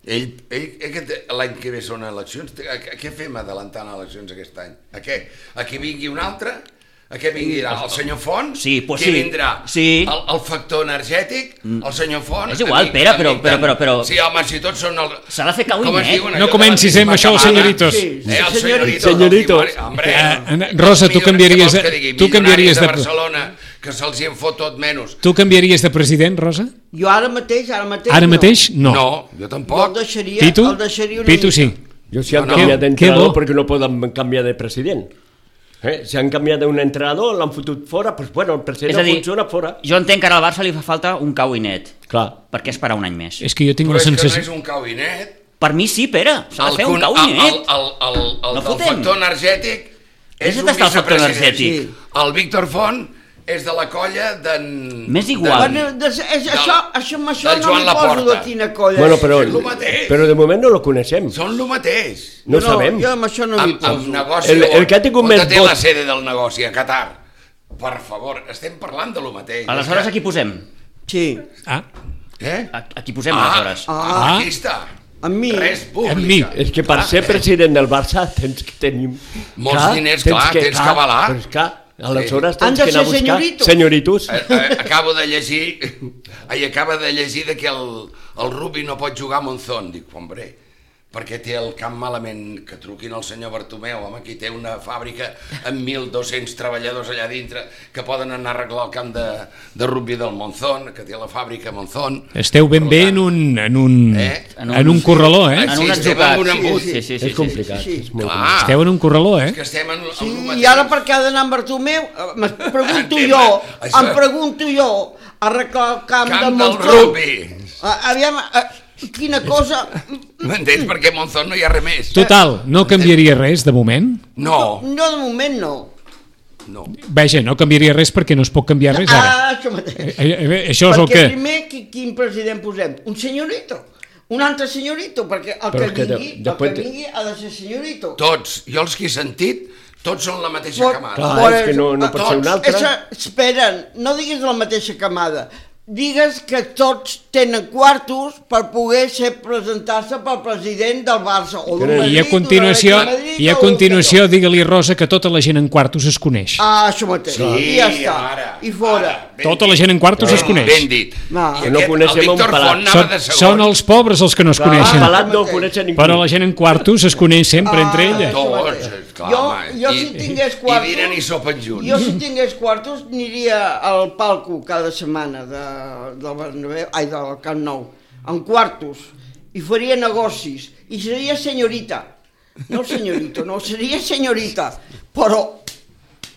Ell, ell aquest, l'any que ve són eleccions. A, a què fem adelantant eleccions aquest any? A què? A que vingui un altre? A què vindrà? El senyor Font? Sí, pues Què sí. vindrà? Sí. El, el factor energètic? El senyor Font? És igual, Amic- Pere, però- amic però- tant. però- però- Sí, home, si tots són... El... S'ha de fer cau i Com es net. diuen, No allò de comencis la amb això, misma senyoritos. camada? Sí, Eh, el senyoritos. senyoritos. Senyoritos. Hombre, Eh, Rosa, tu Milioners, canviaries què de- vols que digui? tu canviaries Milionaris de- de Barcelona, que se'ls hi en fot tot menys. Tu canviaries de president, Rosa? Jo ara mateix, ara mateix Ara no. mateix, no. No, jo Jo el tampoc. deixaria, Pitu? el deixaria una Pitu mica. sí. Jo si han No, no. canviat Que- d'entrenador que bo. perquè no poden canviar de president. Eh? Si han canviat d'un entrenador, l'han fotut fora, doncs bueno, el president És a no dir, funciona fora. jo entenc que ara al Barça li fa falta un cau i net. Clar. Per què esperar un any més? És que jo tinc Però la és que no sensació... és un cau i net. Per mi sí, Pere, s'ha de fer un con- cau i el, net. el, el, el, el No del fotem. factor energètic és És un on està el factor vicepresident. energètic? Sí. El Víctor Font és de la colla d'en... M'és igual. Bueno, des, és, això, això, amb això del no Joan m'hi poso Laporta. de quina colla. Bueno, però, és el mateix. però de moment no lo coneixem. Són el mateix. No jo sabem. Jo amb això no m'hi Amb, amb poso. negoci... El- el que ha tingut on més té vot- la sede del negoci, a Qatar. Per favor, estem parlant de lo mateix. Aleshores, És que- aquí posem. Sí, Ah, Eh? Aquí posem, Ah, aleshores. ah, Ah. aquí està. amb mi. Res amb mi. pública. És que per ser president del Barça tens que tenir... Molts diners, clar, tens que avalar. Però és clar, aleshores Han tens de que anar a ser buscar senyoritos. senyoritos. Eh, eh, Acabo de llegir ai, acaba de llegir de que el, el Rubi no pot jugar a Monzón. Dic, hombre, perquè té el camp malament, que truquin al senyor Bartomeu, home, aquí té una fàbrica amb mil dos-cents treballadors allà dintre que poden anar a arreglar el camp de, de rugby del Monzón, que té la fàbrica a Monzón. esteu ben Per bé tant, en un, en un, Eh? en un corraló, eh? En Sí, un estem atzucat. en un embut. Sí, sí, sí, sí, És complicat. sí, sí. És molt Clar, Esteu en un corraló, eh? és que estem en, en Sí, el mateix. i ara per què ha d'anar amb Bartomeu? Eh, Em pregunto Tema, jo, això- em pregunto jo, a arreglar el camp, Camp del del Monzón. rugby. Ah, aviam, eh, quina cosa... M'entens? Perquè a Monzón no hi ha res més. Total, no canviaria res de moment? No, No, de moment no. no. Vaja, no canviaria res perquè no es pot canviar res ara. Ah, això mateix. Eh, eh, Això és el Perquè que... primer, qui- quin president posem? Un senyorito. Un altre senyorito, perquè el Però que és que de- vingui, el després que de- vingui ha de ser senyorito. Tots, jo els que he sentit, tots són la mateixa Por- camada. Clar, por és que eso, no- no ah, pot ser un tots, altre. Esa, esperen, no diguis la mateixa camada, digues que tots tenen quartos per poder ser presentar-se pel president del Barça o d'un I a Madrid, I a continuació, d'un Madrid, i a o continuació digue-li, Rosa, que tota la gent en quartos es coneix. Ah, això mateix, Sí, i ja està, ara, i fora. ara. Ben Tota dit. la gent en quartos es Ben- coneix. Ben dit. No. I Que no aquest, coneixem el un Víctor pelat. Font anava Són, de segon. són els pobres els que no es Clar, coneixen. pelat no ho coneixen ningú. Però la gent en quartos es coneix sempre entre ella. Tots, clar. Clar, jo, home, jo i, si tingués quartos... I dinen i sopen junts. Jo si tingués quartos aniria al palco cada setmana de, del Bernabéu, ai, del Camp Nou, en quartos, i faria negocis, i seria senyorita. No senyorito, no, seria senyorita, però...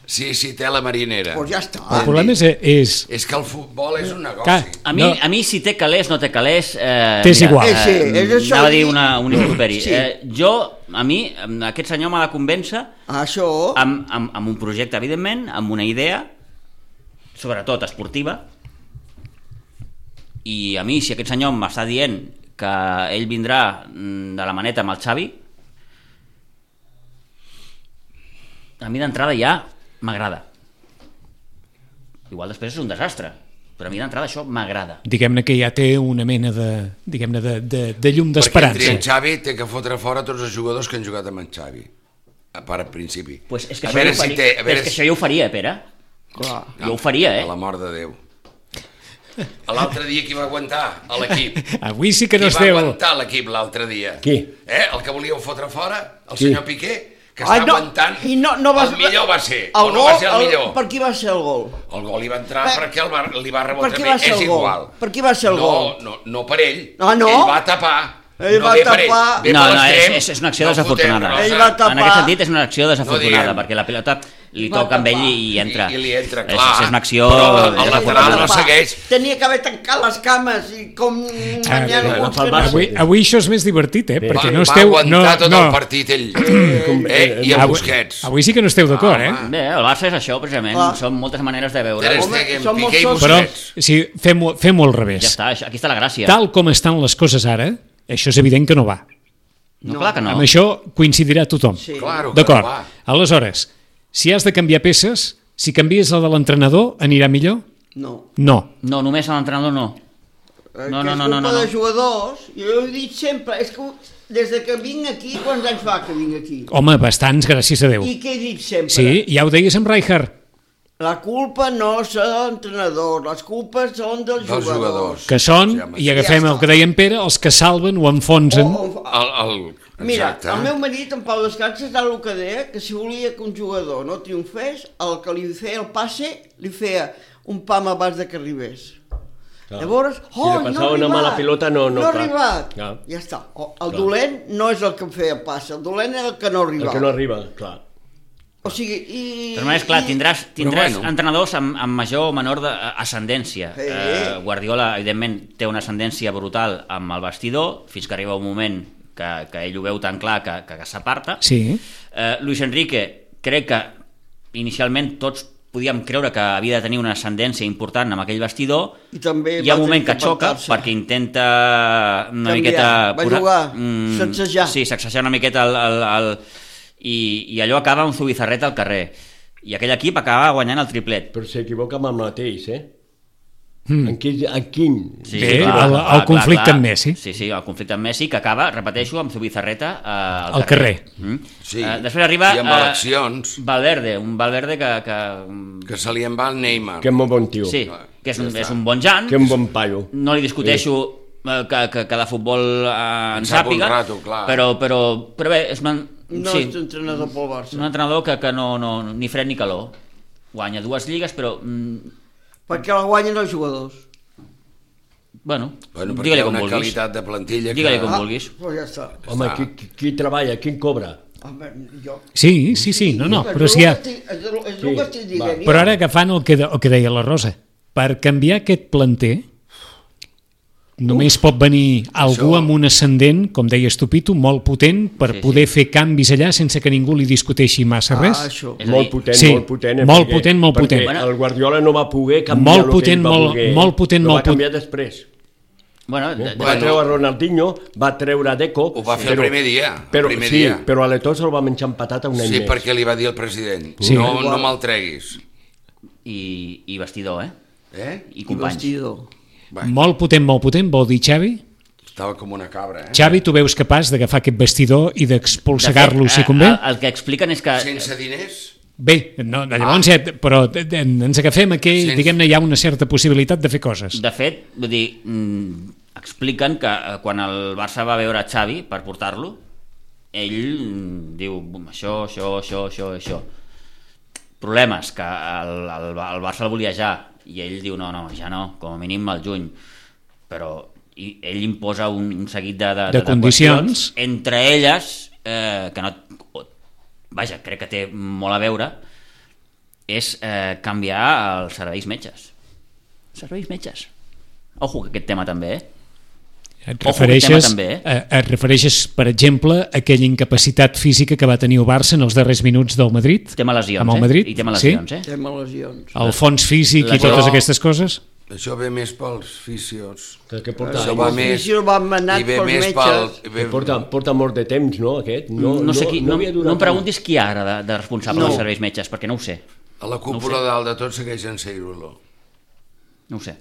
Sí, sí, té la marinera. Pues ja està. El problema és... és... És que el futbol és un negoci. Clar. A mi, No. a mi si té calés, no té calés... Eh, T'és mira, igual. Eh, sí, és això anava a dir de dir- una, un improperi. Sí. Eh, jo, a mi, aquest senyor m'ha de convèncer Això... amb, amb, amb un projecte, evidentment, amb una idea, sobretot esportiva, i a mi, si aquest senyor m'està dient que ell vindrà mm, de la maneta amb el Xavi, a mi d'entrada ja m'agrada. Igual després és un desastre, però a mi d'entrada això m'agrada. Diguem-ne que ja té una mena de, diguem-ne de, de, de llum Perquè entri d'esperança. en Xavi té que fotre fora tots els jugadors que han jugat amb en Xavi. A part, al principi. Pues és que a això, veure jo ho si faria, té... A però veure és que si... això jo ho faria, Pere. Clar. Jo ho faria, eh? A la mort de Déu. L'altre dia qui va aguantar a l'equip? Avui sí que no Qui es va deu... aguantar l'equip l'altre dia? Qui? Eh? El que volíeu fotre fora? El Qui? senyor Piqué? Que Ai, està no, aguantant... i no, no va, el millor va ser, el o no gol, va ser el millor? Per qui va ser el gol? El gol hi va entrar Per- perquè el va, li va rebotar per qui bé, va ser és el gol? igual. Per qui va ser el no, gol? No, no per ell. Ah, no? Ell va tapar. Ell no va ve per tapar. Ell. Ve No, per no, és, l'extrem, és, és una acció no desafortunada. fotem Ell rosa. va tapar. En aquest sentit és una acció desafortunada, diguem. perquè la pilota li Va toca amb ell tapar. i, i entra. I, i li entra, És- clar. És, una acció... Però el desafortunada. lateral no segueix. Tenia que haver tancat les cames i com... Ah, Mañana no, uns no, que no. Avui, avui això és més divertit, eh? Bé. Perquè Va, no va esteu... aguantar No, tot no. el partit ell. eh? I el Avui, Busquets. avui sí que no esteu d'acord, eh? home. Bé, el Barça és això, precisament. Clar. Són moltes maneres de veure. Ter Home, Stegen, som Piqué i molts Però Busquets. si fem-ho fem al revés. Ja està, això- aquí està la gràcia. Tal com estan les coses ara, això és evident que no va. No, clar que no. Amb això coincidirà tothom. Sí. Claro que D'acord. no va. Aleshores, si has de canviar peces, si canvies la de l'entrenador, anirà millor? No. No. No, només a l'entrenador no. Eh, No, que no, és no, no, culpa no. de jugadors, jo ho he dit sempre, és que des de que vinc aquí, quants anys fa que vinc aquí? Home, bastants, gràcies a Déu. I què he dit sempre? Sí, ja ho deies amb Rijkaard, La culpa no és de l'entrenador, les culpes són dels, Dels jugadors. que són, Sí, home, i sí. agafem Ja el que deia en Pere, els que salven o enfonsen. O- o- El, el... Mira, Exacte. el meu marit, en Pau Descanses, era el que deia que si volia que un jugador no triomfés, el que li feia el passe li feia un pam abans de que arribés. Clar. Llavors, Si oh, li no ha passava una arribat, mala pilota, no- no, no ha clar. arribat. Clar. Ja està. O, el Clar. dolent no és el que feia el passe, el dolent era el que no El arribava. que no arriba, clar. O sigui, i... De totes maneres, clar, i- tindràs, tindràs bueno. entrenadors amb, amb major o menor de, ascendència. Sí. Eh, Guardiola, evidentment, té una ascendència brutal amb el vestidor, fins que arriba un moment que, que ell ho veu tan clar que, que, que s'aparta. Sí. Eh, Luis Enrique, crec que inicialment tots podíem creure que havia de tenir una ascendència important amb aquell vestidor. I també Hi ha va un moment tenir que xoca apartar-se. perquè intenta una Canviar. miqueta... Va jugar, sacsejar. Sí, sacsejar una miqueta el, el, el, i, i allò acaba amb Zubizarreta al carrer. I aquell equip acaba guanyant el triplet. Però s'equivoca amb el mateix, eh? Mm. En, quin, en quin? Sí, Bé, el- el conflicte amb Messi. Sí, sí, el conflicte amb Messi, que acaba, repeteixo, amb Zubizarreta eh, al, Al carrer. Mm. Sí, Eh, després arriba i amb eh, eleccions. Valverde, un Valverde que... que Que se li en va el Neymar. Que molt bon tio. sí, que és un, Ja està. és un bon Jan. Que un bon paio. No li discuteixo eh, que, que, que de futbol eh, en En sap un sàpiga, rato, clar. però, però, però bé, és, una, No sí, és entrenador pel Barça. un entrenador que, que no, no, ni fred ni calor. Guanya dues lligues, però... Mm, Perquè la guanyen els jugadors. bueno, Bueno, perquè hi digue-li ha com una vulguis. qualitat de plantilla que... Digue-li com Ah, vulguis. doncs ja està. Home, Està. qui, qui, qui treballa, qui cobra? Home, jo... Sí, sí, sí, no, no, És però el si hi ha... que estic- És el és el Sí, que estic dient. va. jo. Però ara agafant el que, de, el que deia la Rosa, per canviar aquest planter només pot venir algú Això- amb un ascendent, com deies tu, Pitu, molt potent per Sí, sí. poder fer canvis allà sense que ningú li discuteixi massa Ah, res. això. És a Molt dir, potent, sí, molt potent. eh, molt perquè- potent, molt perquè potent. el Guardiola no va poder canviar Molt el potent, que ell va molt- voler. molt potent, Lo molt va canviar després. bueno, de, Va de, Bueno. treure Ronaldinho, va treure Deco... Ho va fer el primer dia, el Però, primer sí, dia. però a l'Eto se'l va menjar amb patata un any Sí, més. perquè li va dir el president. Sí. No, no me'l treguis. i, i vestidor, eh? Eh? I I companys. vestidor. Bueno, Molt potent, molt potent, vol dir Xavi? estava com una cabra, eh? Xavi, tu veus capaç d'agafar aquest vestidor i d'expulsegar-lo De fet, si eh, convé? El, el que expliquen és que... Sense diners? Bé, no, llavors, ah. però de- de- ens agafem a que, Sí. diguem-ne, hi ha una certa possibilitat de fer coses. De fet, vull dir, mm, expliquen que eh, quan el Barça va veure Xavi per portar-lo, ell diu això, això, això, això, això. Problemes, que el, el, el Barça el volia ja, i ell diu no, no, ja no, com a mínim al juny. Però i ell imposa un, un seguit de, de, de, de condicions, entre elles, eh, que no... Vaja, crec que té molt a veure, és eh, canviar els serveis metges. Serveis metges. Ojo, que aquest tema també, eh? Et refereixes, també, eh? et refereixes, per exemple, a aquella incapacitat física que va tenir el Barça en els darrers minuts del Madrid? Tema lesions, amb el Madrid? eh? I tema lesions, sí? eh? Tema lesions. El fons físic La... i totes Però... aquestes coses? Això ve més pels fisios. Que, que porta, Això va Els més... fisios van manat i ve pels més metges. pel... que porta, porta molt de temps, no, aquest? No, no, sé qui, no, havia no, durat em preguntis qui ara de, de responsable No. dels serveis metges, perquè no ho sé. A la cúpula No dalt de tot segueix en Seirulo. No ho sé.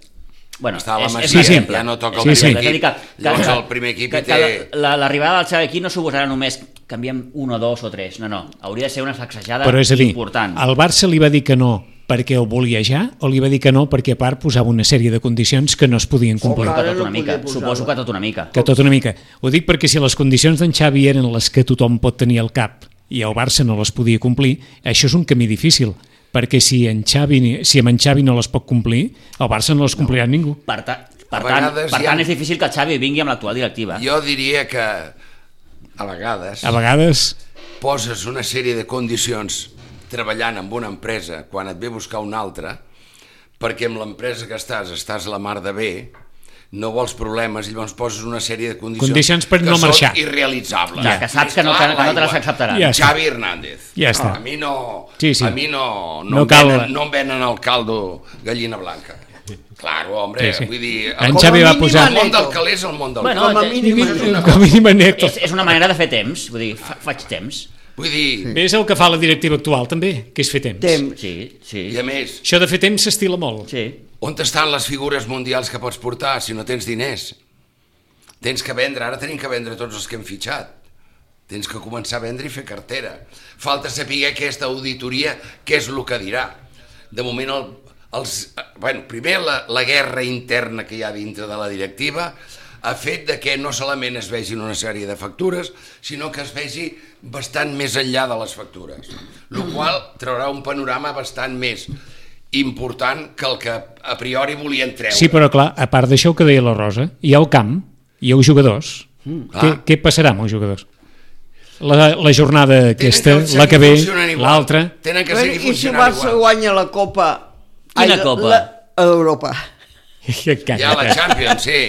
Bueno, Està a la és, és Masia, un exemple. ja no toca el És un primer exemple. equip. És a dir que- Llavors que- el primer equip que, hi té... que la- L'arribada del seu equip no suposarà només canviem un o dos o tres, no, no. Hauria de ser una sacsejada Però és a dir, important. el Barça li va dir que no perquè el volia ja o li va dir que no perquè a part posava una sèrie de condicions que no es podien complir? Suposo que Ara tot no una mica. podia posar-la. Suposo que tot una mica. Que tot una mica. Ho dic perquè si les condicions d'en Xavi eren les que tothom pot tenir al cap i el Barça no les podia complir, això és un camí difícil, perquè si, en Xavi, si amb en Xavi no les pot complir, el Barça no les complirà no. ningú. Per, ta, per, A tant, vegades per hi ha- tant, és difícil que el Xavi vingui amb l'actual directiva. Jo diria que a vegades A vegades, poses una sèrie de condicions treballant amb una empresa quan et ve a buscar una altra, perquè amb l'empresa que estàs estàs la mar de bé, no vols problemes i llavors poses una sèrie de condicions, Condicions per que no són marxar. irrealitzables. Ja, que saps que no, que, que no te les acceptaran. Ja està. Xavi Hernández. Ja està. A mi no, Sí, sí. a mi no, no, No em cal- venen, no em venen el caldo gallina blanca. Claro, hombre, Sí, sí. vull dir... En el- Xavi va mínim posar... El món del calés és el món del Bueno, calés. Com a te- mínim és una Com a mínim anècdota. És, és una manera de fer temps, vull dir, fa, faig temps. Vull dir, És el que fa la directiva actual també, que és fer temps. temps. Sí, sí, i a més, Això de fer temps s'estila molt. sí. on estan les figures mundials que pots portar si no tens diners? Tens que vendre, ara tenim que vendre tots els que hem fitxat. Tens que començar a vendre i fer cartera. Falta saber aquesta auditoria què és el que dirà. De moment, el, els, bueno, primer la, la guerra interna que hi ha dintre de la directiva ha fet de que no solament es vegin una sèrie de factures, sinó que es vegi bastant més enllà de les factures, el qual traurà un panorama bastant més important que el que a priori volien treure. Sí, però clar, a part d'això que deia la Rosa, hi ha el camp, hi ha els jugadors. Mm, Què, clar. què passarà amb els jugadors? La, la jornada aquesta, Tenen que la que ve, funcionen igual. l'altra... Tenen que Bueno, seguir I si el funcionant Barça igual. guanya la Copa... Quina Ai, la- Copa? La, a Europa. Ja la Champions, sí.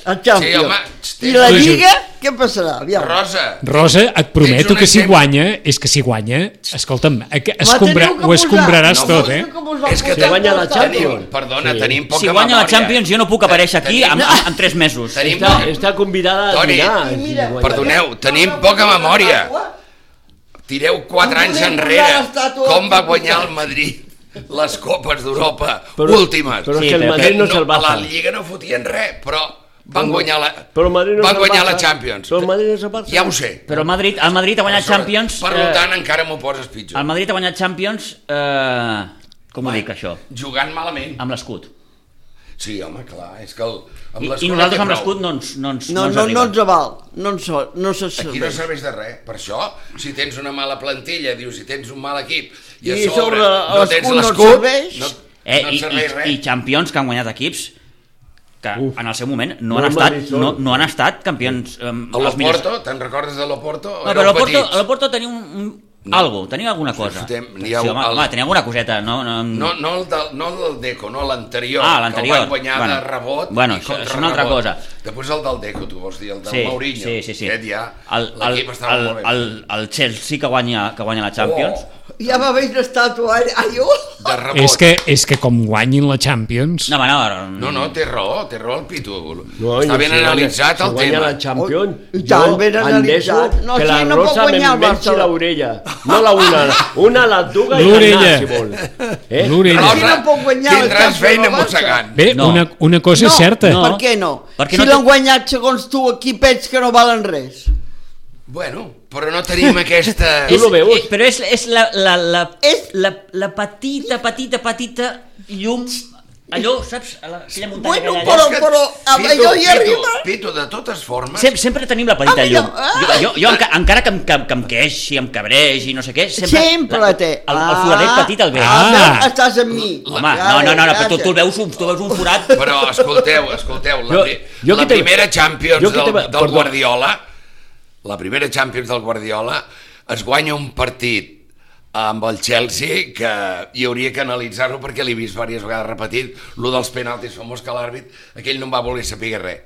El Champions. Sí, home, I la Tu, Lliga, què passarà? Aviam. Rosa. Rosa, et prometo un que si exemple. guanya, és que si guanya, escolta'm, eh, que Me escombra, teniu que ho posar. escombraràs No, tot, no, eh? Com us van És que posar guanya la portar? Champions. Tenim, perdona, Sí. tenim poca Si guanya la memòria. Champions jo no puc aparèixer aquí Tenim- en, en, en tres mesos. Tenim Està, poca- està convidada a Toni, dinar. I mira, si guanya. Perdoneu, tenim poca memòria. Tireu quatre Em anys volem enrere. posar l'estàtua Com va al guanyar el Madrid les copes d'Europa Però- últimes? però és que el Que Madrid no és el A la Barça. Lliga no fotien res, però van guanyar la, Però el Madrid no és van el guanyar Barça. la Champions. Però el Madrid no és el Barça. Ja ho sé. Però el Madrid, el Madrid ha guanyat Champions... Per eh, tant, encara m'ho poses pitjor. el Madrid ha guanyat Champions... Eh, com ho dic, això? Jugant malament. Amb l'escut. Sí, home, clar, és que el, amb I, l'escut I nosaltres no amb té l'escut prou. no ens, no ens, No, ens no, arriba. no ens aval. No, ens, no se Aquí no serveix. serveix de res. Per això, si tens una mala plantilla, dius, si tens un mal equip, i a I sobre sobre no tens l'escut no et l'escut, serveix. no, Eh, no i, et serveix i, res. I Champions que han guanyat equips que Uf. en el seu moment no, No han el estat, Madrid sol. no, no han estat campions eh, A els millors. l'Oporto, te'n recordes de l'Oporto? No, però Éreu l'Oporto, petits. l'Oporto tenia un, un No. algo, tenia alguna cosa. fotem- Sí, n'hi ha home, un- el- home, tenia alguna coseta, no? no, No, no, el del, no el del Deco, no l'anterior, Ah, que l'anterior. el van guanyar Bueno, de rebot bueno, i això- contra és una altra rebot. cosa. Després el del Deco, tu vols dir, el del Sí, Mourinho. sí, sí, sí. Aquest ja, El, el, l'equip estava el, molt bé. el, el Chelsea que guanya, que guanya la Champions. Oh, Ja va haver una estàtua allò. de rebot. És que, és que com guanyin la Champions... No, home, no, No, no, té raó, té raó el Pitu. No, Està i ben si guanya- analitzat si el guanya tema. la Champions, Oh, i tant, jo ben endeso analitzat. No, que sí, la no pot Rosa guanyar el m'envenci Barça. l'orella. No la una, una a la duga i L'orella. l'anar, si vol. Eh? L'orella. Rosa, Qui no pot guanyar la tindràs Champions feina al Barça? mossegant. Bé, No. una, una cosa és certa. no. Per què no? Perquè si no té- l'han guanyat segons tu equipets que no valen res. Bueno, però no tenim aquesta... Tu lo veus? Eh, però és, és, la, la, la, És- la, la petita, petita, petita llum allò, saps? A la, aquella muntanya Bueno, que hi ha però, allà. però, amb Pitu, allò hi Pitu, arriba. Pitu, de totes formes... Sem sempre tenim la petita Ah, mira, llum. ah. Jo, jo, jo enca encara que em, que, que em queixi, em cabregi, no sé què, sempre... Sempre la, té. El, el foradet petit el veig. Ah, Ah. veus, estàs amb mi. Home, no, no, no, no, però tu, tu, el veus, un- tu veus un forat... Però escolteu, escolteu, la, Jo- pri jo la que te- primera Champions jo que del, te- del perdó. Guardiola, la primera Champions del Guardiola, es guanya un partit amb el Chelsea que hi hauria que analitzar-lo perquè l'he vist diverses vegades repetit, lo dels penaltis famós que l'àrbit, aquell no em va voler saber res.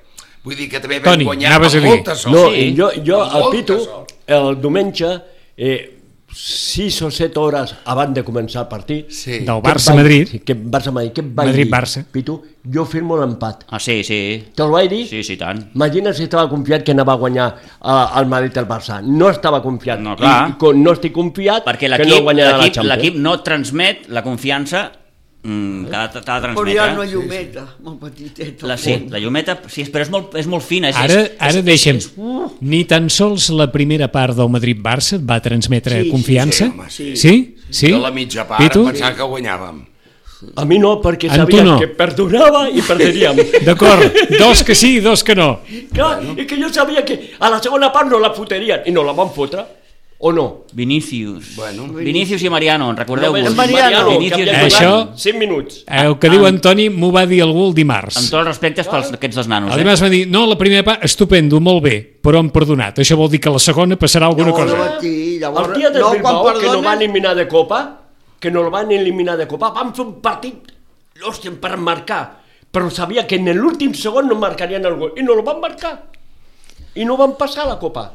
Vull dir que també vam Toni, guanyar anaves a amb dir. molta sort. No, Sí. jo, jo Amb el molta Pitu, sort. el diumenge, eh, sis o set hores abans de començar el partit... Sí. Del què et Barça-Madrid. vaig- Sí, que Barça-Madrid, què et vaig Madrid-Barça. dir? Pitu, jo firmo l'empat. Ah, sí, sí. Te'l vaig dir? Sí, sí, tant. Imagina si estava confiat que anava a guanyar uh, el Madrid el Barça. No estava confiat. No, clar. I, i con, no estic confiat Perquè que no l'equip guanyarà la l'equip Champions. l'equip no et transmet la confiança mm, que ha de, t'ha de Però transmetre. hi ha una llumeta, molt petiteta. La, sí, la llumeta, sí, però és molt, és molt fina. És, Ara, és, ara és, deixem, és, uh, ni tan sols la primera part del Madrid-Barça et va transmetre Sí, sí, confiança? sí, home, sí. Sí? Sí? Jo la mitja part Pitu? em pensava que guanyàvem. A mi no, perquè En tu sabia no. que perdonava i perderíem. D'acord, dos que sí i dos que no. Clar, és que jo sabia que a la segona part no la fotrien i no la van fotre, o no? Vinícius. Bueno. Vinícius i Mariano, recordeu-vos. Només Mariano, Vinícius que i havia Això- jugat Mariano. cinc minuts. El que diu Antoni m'ho va dir algú el dimarts. Amb tots els respectes pels aquests dos nanos. El Eh? dimarts va dir, no, la primera part, estupendo, molt bé, però hem perdonat. Això vol dir que la segona passarà alguna Llavors, cosa. aquí, llavors, El dia del no, Bilbao, quan que no van perdones, eliminar de Copa, que no el van eliminar de Copa, van fer un partit, hòstia, per marcar, però sabia que en l'últim segon no marcarien el gol, i no el van marcar, i no van passar la Copa.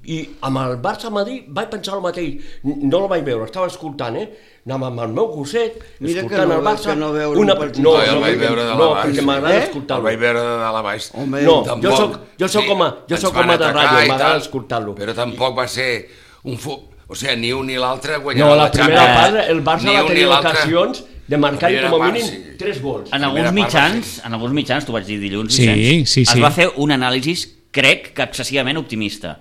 I amb el Barça-Madrid vaig pensar el mateix, no el vaig veure, estava escoltant, eh? Anava amb el meu gosset, Mira que escoltant no el veu- Barça... que no veure un partit. no, No, jo el no, vaig veure de no, la baix. perquè m'agrada Eh? El escoltar-lo. vaig veure de dalt a baix. Home, No, Tampoc- jo soc, jo soc sí, com a, jo ens soc van com a de atacar ràdio, i m'agrada tal, escoltar-lo. Però tampoc va ser un fu... O sigui, ni un ni l'altre guanyarà No, la la primera Champions. part, el Barça Ni va un ni tenir l'altre. ocasions de marcar La com a primera mínim part, sí. tres gols. En La alguns primera part, mitjans, en alguns mitjans, t'ho vaig dir dilluns, Sí, Vicenç, sí, sí. es va fer un anàlisi, crec que excessivament optimista.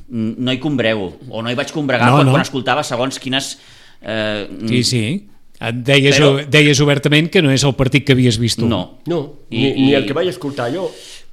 Mm, No hi combrego, o no hi vaig combregar No, quan, no. quan escoltava segons quines... Eh, Sí, sí. Et deies, Però- deies obertament que no és el partit que havies vist tu. No. No, I- ni, ni i- el que vaig escoltar jo.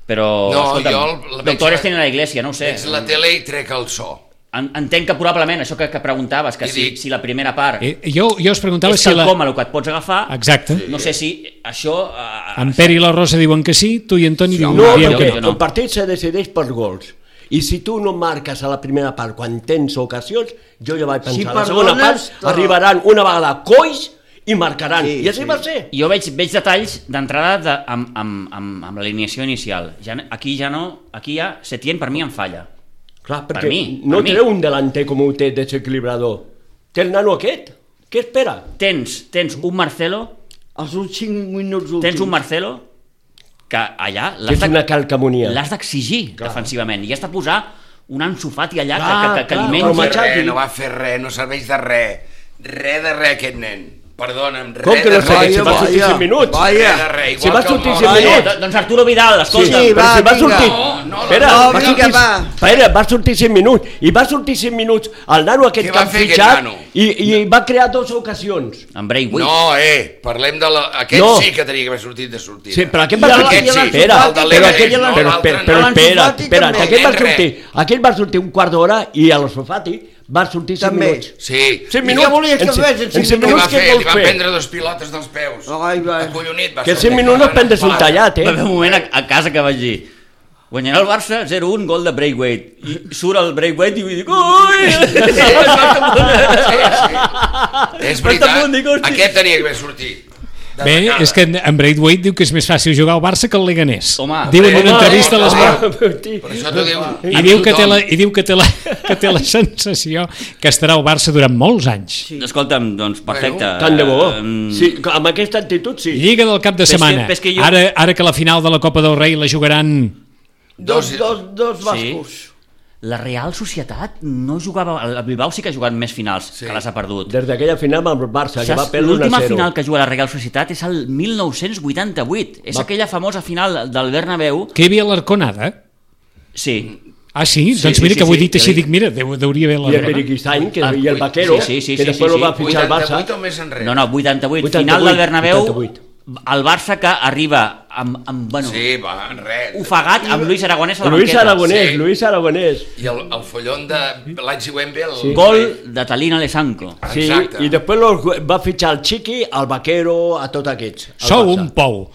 Però, No, escolta'm, jo el- la veig- doctores tenen la iglesia, no ho sé. Ets la tele i trec el so. En- Entenc que probablement això que, que preguntaves, que I si, dic- si la primera part Eh, jo, jo us preguntava és si la... quelcom a el que et pots agafar, Exacte. no sé si això... Eh, En Pere i la Rosa diuen que sí, tu i Antoni diuen, No, dieu jo- que perquè no. no. el partit se decideix per gols. I si tu no marques a la primera part quan tens ocasions, jo ja vaig pensar, Si a la segona part perdones, to- arribaran una vegada coix i marcaran. Sí, I així sí. va ser. Jo veig, veig detalls d'entrada de, amb, amb, amb, amb l'alineació inicial. Ja, aquí ja no, aquí ja Setién per mi em falla. Clar, Per perquè mi, no per mi. treu un delanter com ho té desequilibrador. Té el nano aquest. Què espera? Tens, tens un Marcelo, els últims cinc minuts últims. tens un Marcelo que allà Que l'has és de- una calcamonia. l'has d'exigir defensivament i has de posar un Ansu Fati allà Clar, que, que, que, que clar, li No però mengi. va fer Machadi. res, no va fer res, no serveix de res. Res de res, aquest nen. Perdona'm, res Com que no de serveix? Si res. va sortir vaya, cinc minuts. vaya. Res de res, igual Si va que el sortir Mort. cinc Vaya. minuts. Do- Doncs Arturo Vidal, escolta. Sí, Però va, si va vinga. sortir... No, no, espera, no, va vinga, sortir... va. Espera, va sortir cinc minuts. I va sortir cinc minuts el nano aquest Què que va han fer aquest fitxat nano? i, i va crear dues ocasions. En Braithwaite. No, eh, parlem de la... Aquest No. sí que tenia que haver sortit de sortida. Sí, però aquest I va el- sortir... i l'Ansu Espera, Fati però també, aquell, no, però, l'altre però, no. però L'Ansu espera, Fati espera, també. que aquest va Res. sortir, aquell va sortir un quart d'hora i el Fati va sortir cinc També. minuts. Sí. Cinc I minuts. què volies que en cinc- fes en en cinc cinc Què minuts? va minuts què fer? Li vols van fer? prendre dos pilotes dels peus. Ai, va. Acollonit. Va Que sortir cinc minuts no parlant pendes un fora. tallat, Va eh? haver un moment a, a casa que vaig dir guanyarà el Barça zero un, gol de Braithwaite. I surt el Braithwaite i vull dir ui! És Però veritat, tampoc dic, hosti. aquest tenia que haver sortit. de Bé, tacada. és que en Braithwaite diu que és més fàcil jugar al Barça que al Leganés. Home, diu en home, una entrevista a home, l'Esport. home. Per això t'ho diu. I diu, que té la, I diu que té, la, que té la sensació que estarà al Barça durant molts anys. Sí. Escolta'm, doncs perfecte. Tant de bo. Eh, Sí, amb aquesta actitud, sí. Lliga del cap de Però és que- setmana. però és que jo- Ara, ara que la final de la Copa del Rei la jugaran... Dos, Dos- dos, dos bascos. La Real Societat no jugava... El Bilbao sí que ha jugat més finals, Sí. que les ha perdut. Des d'aquella final amb el Barça, que va Saps? perdre un a L'última zero. final que juga la Real Societat és el mil nou-cents vuitanta-vuit. És Va. aquella famosa final del Bernabéu. Que hi havia l'Arconada? Sí. Ah, sí? Sí, doncs sí, mira sí, que ho he sí, dit així, que dic, mira, deu, deuria haver I el l'Arconada. Periquistain, que, Ah, i el Vaquero, sí, sí, sí, que sí, després sí, el va sí. fitxar el vuitanta-vuit Barça. o més enrere? No, no, vuitanta-vuit. vuitanta-vuit, Final del Bernabéu. vuitanta-vuit. el Barça que arriba amb, amb bueno, Sí, va, res. ofegat amb Luis Aragonès a la Luis banqueta. Aragonès, Sí. Luis Aragonès. I el, el follon de l'any següent ve el... Sí. Gol de Talín Alessanco. Sí, Exacte. i després los, va fitxar el Chiqui, el Vaquero, a tots aquests. al Sou Barça. un pou.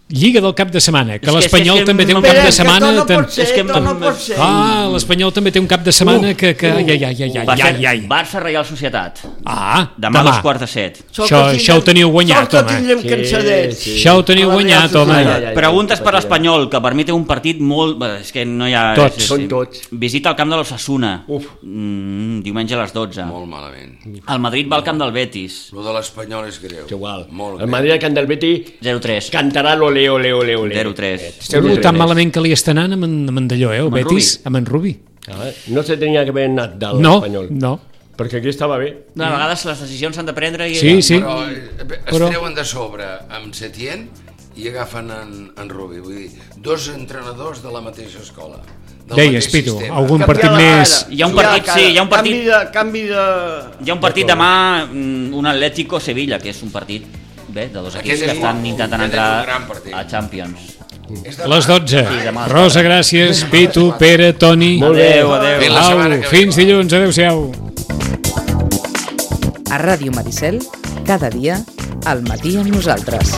Lliga del cap de setmana, que És que- l'Espanyol és que- també té un Però cap Però de és que setmana... tot no tan- pot ser, és que- tot no pot ser. Ah, l'Espanyol també té un cap de setmana que... que... Ai, ai, ai, ai, Per ai, cert, ai, ai. Barça Reial Societat. Ah, Demà a dos quarts de set. Sort Això- que això ho teniu guanyat, sort que home. tindrem Sí, cansadets. sí. Això ho teniu A la guanyat, Real home. Ai, ai, ai. Preguntes per patirem. l'Espanyol, que per mi té un partit molt... bé, És que no hi ha... Tots. és- és- Són tots. Visita el camp de l'Osasuna. Uf. Mm, diumenge a les dotze. Molt malament. El Madrid va al camp del Betis. Lo de l'Espanyol és greu. És igual. Molt El greu. Madrid al Camp del Betty zero tres. cantarà l'ole, ole, ole, ole. zero tres. Uh, tan malament que li està anant amb en, amb en Dalló, eh, el Amb en Betis, amb en Rubi. Ah, no se tenia que haver anat de No, l'Espanyol. no. Perquè aquí estava bé. De vegades les decisions s'han de prendre i... Sí, sí. Però eh, es Però- treuen de sobre amb Setién i agafen en, en Rubi. Vull dir, dos entrenadors de la mateixa escola. Del Deies, mateix Pitu, sistema. algun Canviar partit la més... cara. Hi ha un Canviar partit, la cara. sí, hi ha un partit- Canvi de... Canvi de... Hi ha un partit demà, mm, un Atlético-Sevilla, que és un partit bé, de dos Aquest equips és que estan guapo, intentant aquest és un entrar gran partit. a Champions. És de Les dotze. Sí, demà. Rosa, gràcies. Pitu, Pere, Toni. Molt bé. Adéu, adéu. Fins la Au, setmana que ve. fins dilluns. Adéu-siau. A Ràdio Maricel, cada dia, al matí amb nosaltres.